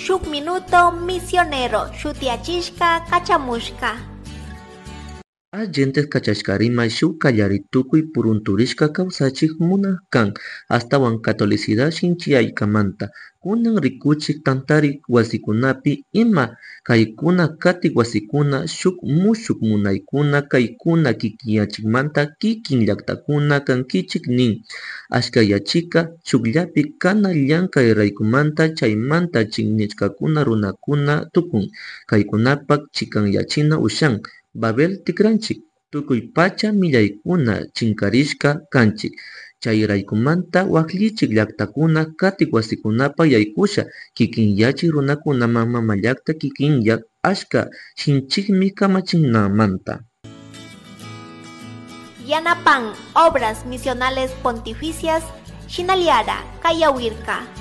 Shuk Minuto Misionero shutiyachishka kachamushka. Agentes kachashkarimay shuk kallari tukuy purunturishka kawsachik munak kan ashtawan catolicidad shinchiyaykamanta kunan rikuchik tantari wasikunapi ima kaykuna katik wasikuna shuk mushuk munaykuna kaykuna kikinyachikmanta kikin llaktakuna kankichik nin ashkayachika shukllapi kana llankay raykumanta chaymanta chinishkakuna runakuna tukun kaykunapak chikanyachina ushan Babel tikranchik tukuy pacha millaykuna chinkarishka kanchik chayraykumanta wakllichik llaktakuna katik wasikunapa yaykusha kikinyachik runakunaman mamallakta kikinyak ashka shinchikmi kamachinamanta. Yanapan Obras Misionales Pontificias Shinaliara Kayawirka.